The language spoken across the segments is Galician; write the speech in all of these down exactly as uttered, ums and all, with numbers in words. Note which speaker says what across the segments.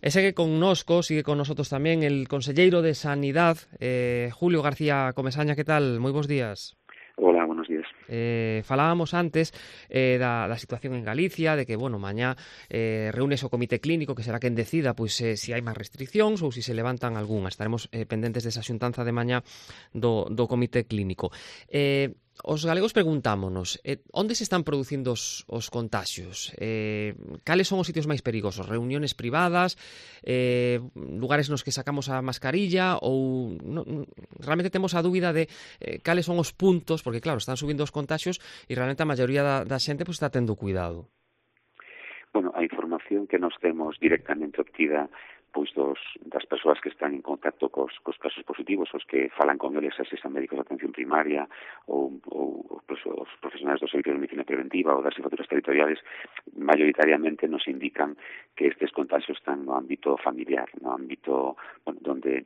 Speaker 1: E segue connosco, sigue con nosotros tamén el conselleiro de Sanidade, eh, Julio García Comesaña. Que tal? Moi bons días.
Speaker 2: Hola, buenos días.
Speaker 1: Eh, falábamos antes eh, da, da situación en Galicia, de que, bueno, mañá eh, reúnes o comité clínico, que será quen decida pois, eh, si hai máis restriccións ou si se levantan algunhas. Estaremos eh, pendentes desa xuntanza de mañá do, do comité clínico. Eh, os galegos preguntámonos, eh, onde se están producindo os, os contaxios? Eh, cales son os sitios máis perigosos? Reuniones privadas? Eh, lugares nos que sacamos a mascarilla? Ou no, realmente temos a dúbida de eh, cales son os puntos, porque claro, están subindo os contaxios e realmente a maioría da, da xente pues, está tendo cuidado.
Speaker 2: Bueno, a información que nos temos directamente obtida pois dos, das persoas que están en contacto cos, cos casos positivos, os que falan con eles, se son médicos de atención primaria ou, ou pues, os profesionais do servicio de medicina preventiva ou das jefaturas territoriales, mayoritariamente nos indican que estes contagios están no ámbito familiar, no ámbito bueno, donde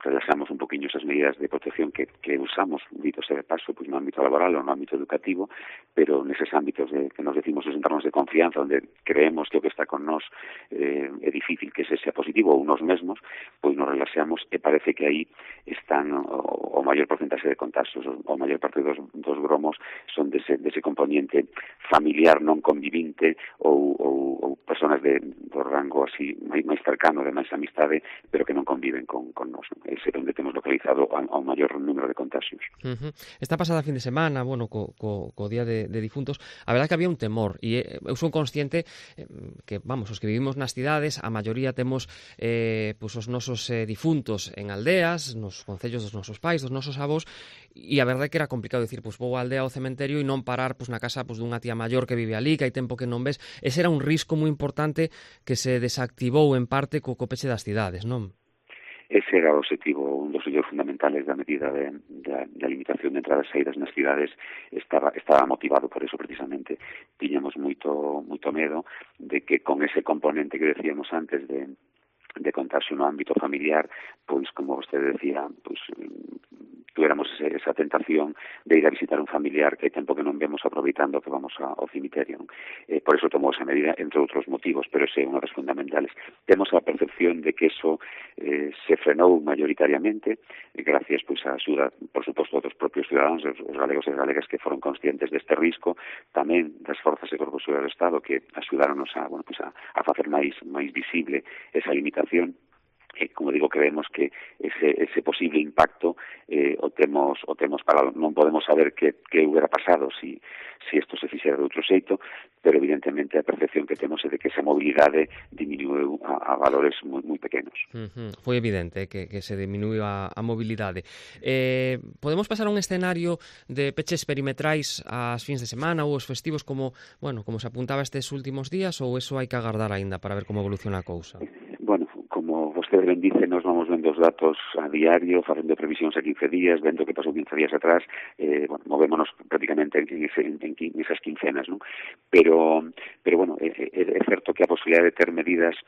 Speaker 2: relajamos un poquinho esas medidas de protección que, que usamos, dito sea de paso, pues no ámbito laboral ou no ámbito educativo, pero neses ámbitos de, que nos decimos os entornos de confianza, onde creemos que o que está con nós eh, é difícil que ese sea positivo ou nos mesmos, pois nos relaxamos e parece que aí están o, o maior porcentaxe de contagios, o, o maior parte dos, dos gromos son dese, dese componente familiar non convivinte ou, ou, ou personas de, do rango así máis, máis cercano, de máis amistade, pero que non conviven con, con nós. Ese é onde temos localizado a, a un maior número de contagios.
Speaker 1: Uh-huh. Esta pasada fin de semana, bueno, co, co, co día de, de difuntos, a verdade que había un temor, e eu son consciente eh, que, vamos, os que vivimos nas cidades, a maioría temos eh, pues, os nosos eh, difuntos en aldeas, nos concellos dos nosos pais, dos nosos avós, e a verdade que era complicado dicir, pois vou á aldea ao cementerio e non parar pois, na casa pois, dunha tía maior que vive ali, que hai tempo que non ves. Ese era un risco moi importante que se desactivou en parte co, co peche das cidades, non?
Speaker 2: Ese era o objetivo, un dos sellos fundamentales da medida de, de, de limitación de entradas e saídas nas cidades estaba, estaba motivado por eso precisamente. Tiñamos moito, moito medo de que con ese componente que decíamos antes de, de contagio no ámbito familiar, pois como vostede decía, pois tuéramos ese, esa tentación de ir a visitar un familiar que hai tempo que non vemos aproveitando que vamos a, ao cemiterio. Eh, por eso tomou esa medida, entre outros motivos, pero ese é unha das fundamentales. Temos a percepción de que eso eh, se frenou mayoritariamente, eh, gracias pois a axuda, por suposto, dos propios ciudadanos, os, os galegos e galegas que foron conscientes deste risco, tamén das forzas e corpos do Estado que axudáronos a, bueno, pois a, a facer máis, máis visible esa limitación. Eh, como digo, creemos que ese, ese posible impacto eh, o temos o temos parado. Non podemos saber que, que hubiera pasado si, si esto se fixera de outro xeito, pero evidentemente a percepción que temos é de que esa mobilidade diminuiu a, a valores moi, moi pequenos.
Speaker 1: Uh-huh. Foi evidente que, que se diminuiu a, a mobilidade. Eh, podemos pasar a un escenario de peches perimetrais ás fins de semana ou os festivos como, bueno, como se apuntaba estes últimos días, ou eso hai que agardar aínda para ver como evoluciona a cousa?
Speaker 2: Bueno, como vostede ben dice, nos vamos vendo os datos a diario, facendo previsións a quince días, vendo que pasou quince días atrás, eh, bueno, movémonos prácticamente en, ese, en, en esas quincenas, ¿no? Pero, pero bueno, é, é, é certo que a posibilidade de ter medidas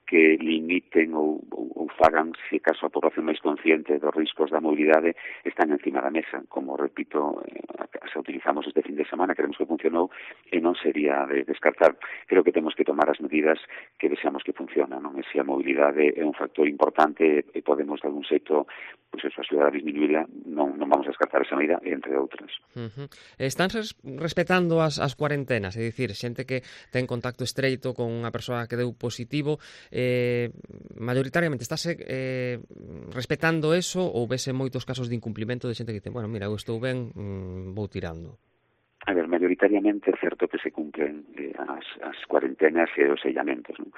Speaker 2: que limiten ou, ou, ou fagan, se caso a población máis consciente dos riscos da mobilidade, están encima da mesa. Como repito, eh, se utilizamos este fin de semana, queremos que funcionou, e non sería de descartar. Creo que temos que tomar as medidas que deseamos que funcionan, non? E se a mobilidade é un factor importante e podemos, de algún xeito, pois eso, axudar a disminuíla, non, non vamos a descartar esa medida, entre outras.
Speaker 1: Uh-huh. Están res respetando as, as cuarentenas, é dicir, xente que ten contacto estreito con unha persoa que deu positivo, eh, mayoritariamente estáse eh, respetando eso, ou vese moitos casos de incumplimento de xente que dice, bueno, mira, eu estou ben, mmm, vou tirando?
Speaker 2: A ver, mayoritariamente é certo que se cumplen eh, as, as cuarentenas e os sellamentos, non?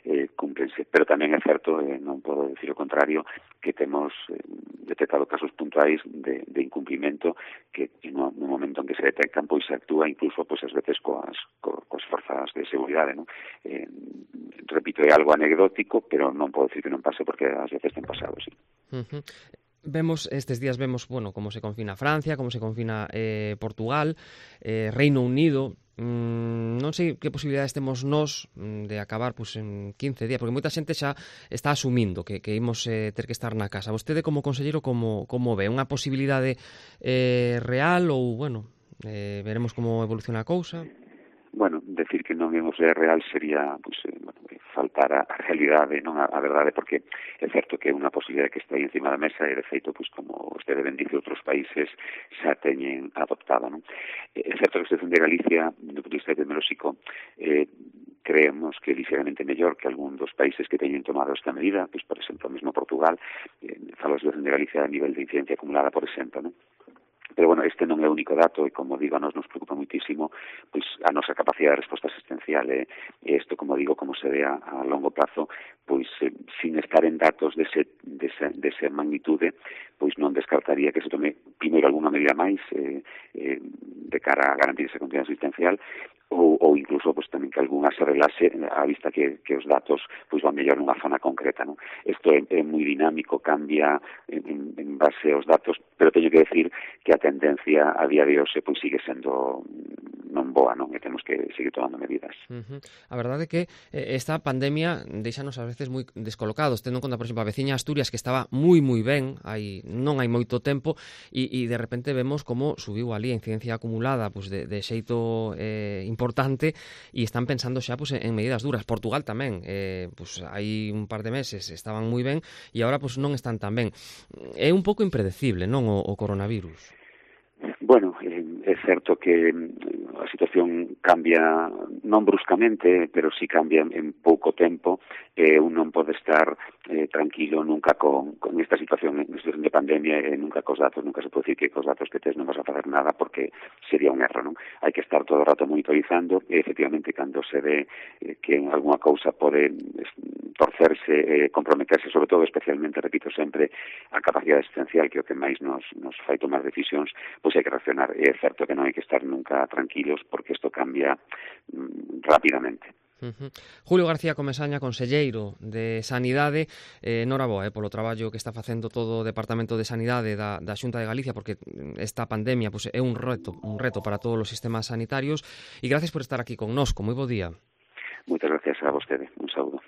Speaker 2: Eh, cúmplense, pero tamén é certo, eh, non podo decir o contrario, que temos eh, detectado casos puntuais de, de incumplimento que no, no momento en que se detectan, pois se actúa incluso, pois as veces coas, co, coas forzas de seguridade, non? Eh, repito, é algo anecdótico, pero non podo decir que non pase porque ás veces ten pasado, sí.
Speaker 1: Uh-huh. Vemos, estes días vemos, bueno, como se confina Francia, como se confina eh, Portugal, eh, Reino Unido. Mm, non sei que posibilidades temos nós de acabar pues, en quince días, porque moita xente xa está asumindo que, que imos eh, ter que estar na casa. Vostede como conselleiro como, como ve? Unha posibilidade eh, real ou, bueno, eh, veremos como evoluciona a cousa?
Speaker 2: Bueno, decir que non imos ver real sería pues, eh, bueno, faltar a, a realidade, non a, a verdade, porque é certo que é unha posibilidade que está aí encima da mesa e, de feito, pois, como vostede ben dice, outros países xa teñen adoptado, non? É certo que a situación de Galicia, do punto de vista epidemiolóxico, eh, creemos que é ligeramente mellor que algún dos países que teñen tomado esta medida, pois, por exemplo, mesmo Portugal, eh, falo da situación de Galicia a nivel de incidencia acumulada, por exemplo, non? Pero, bueno, este non é o único dato e, como digo, a nos nos preocupa muitísimo pois a nosa capacidade de resposta asistencial e, e isto, como digo, como se ve a, a longo plazo, pois eh, sin estar en datos dese, dese, dese magnitude, pois non descartaría que se tome primeiro alguna medida máis eh, eh, de cara a garantir esa continuidade asistencial ou, ou incluso pois tamén que algunha se relase a vista que, que os datos pois van mellor nunha zona concreta, non? Isto é, é moi dinámico, cambia en, en base aos datos, pero teño que decir que a tendencia a día de hoxe pois sigue sendo non boa, non? E temos que seguir tomando medidas.
Speaker 1: Uh-huh. A verdade é que esta pandemia deixanos ás veces moi descolocados, tendo en conta, por exemplo, a veciña Asturias que estaba moi moi ben, hai non hai moito tempo, e, e de repente vemos como subiu ali a incidencia acumulada pois de, de xeito eh, importante e están pensando xa pois, en medidas duras. Portugal tamén, eh, pois, hai un par de meses estaban moi ben e agora pois, non están tan ben. É un pouco impredecible, non, o, o coronavirus?
Speaker 2: Bueno, é certo que a situación cambia non bruscamente, pero sí cambia en pouco tempo e un non pode estar eh, tranquilo nunca con, con esta situación, en situación de pandemia e nunca cos datos, nunca se pode dicir que cos datos que tes non vas a facer nada porque sería un erro, non? Hai que estar todo o rato monitorizando e efectivamente cando se ve eh, que en alguna cousa pode torcerse, eh, comprometerse, sobre todo especialmente, repito sempre, a capacidade existencial que é o que máis nos, nos fai tomar decisións, pois hai que reaccionar. E é certo que non hai que estar nunca tranquilos porque isto cambia mm, rapidamente.
Speaker 1: Uh-huh. Julio García Comesaña, conselleiro de Sanidade, eh, noraboa eh, polo traballo que está facendo todo o Departamento de Sanidade da, da Xunta de Galicia, porque esta pandemia pues, é un reto, un reto para todos os sistemas sanitarios, e gracias por estar aquí connosco. Moi bo día.
Speaker 2: Moitas gracias a vostede. Un saúdo.